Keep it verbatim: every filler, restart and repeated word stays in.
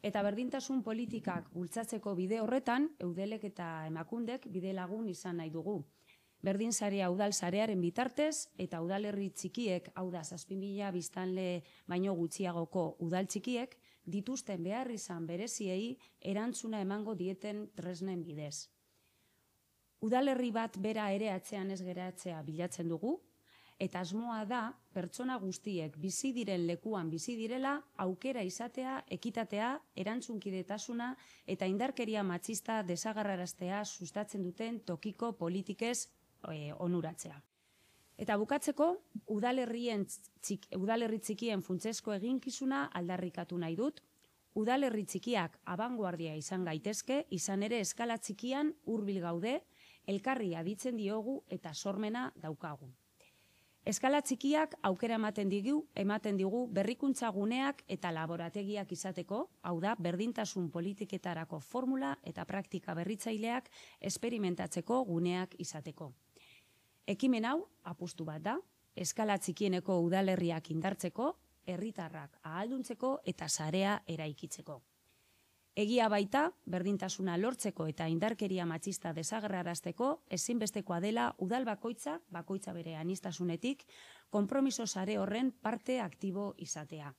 Eta berdintasun politikak bultzatzeko bide horretan, eudelek eta emakundek bide lagun izan nahi dugu. Berdin sarea udal sarearen bitartez eta udalerri txikiek, hau da zazpi mila biztanle baino gutxiagoko udal txikiek, dituzten behar izan bereziei erantzuna emango dieten tresnen bidez. Udalerri bat bera ere atzean ez geratzea bilatzen dugu, eta asmoa da pertsona guztiek bizi diren lekuan bizi direla aukera izatea, ekitatea, erantzunkidetasuna eta indarkeria matxista desagerraraztea sustatzen duten tokiko politikez e, onuratzea. Eta bukatzeko, udalerrien txik, udalerri txikien funtsezko eginkizuna aldarrikatu nahi dut. Udalerri txikiak abanguardia izan gaitezke, izan ere eskala txikian hurbil gaude, elkarri aditzen diogu eta sormena daukagu. Eskala txikiak aukera ematen digu, ematen digu berrikuntza guneak eta laborategiak izateko, hau da, berdintasun politiketarako formula eta praktika berritzaileak esperimentatzeko guneak izateko. Ekimen hau, apustu bat da, eskala txikieneko udalerriak indartzeko, herritarrak ahalduntzeko eta sarea eraikitzeko. Egia baita, berdintasuna lortzeko eta indarkeria matxista desagerrarazteko ezinbestekoa dela udal bakoitza, bakoitza bere aniztasunetik, konpromiso sare horren parte aktibo izatea.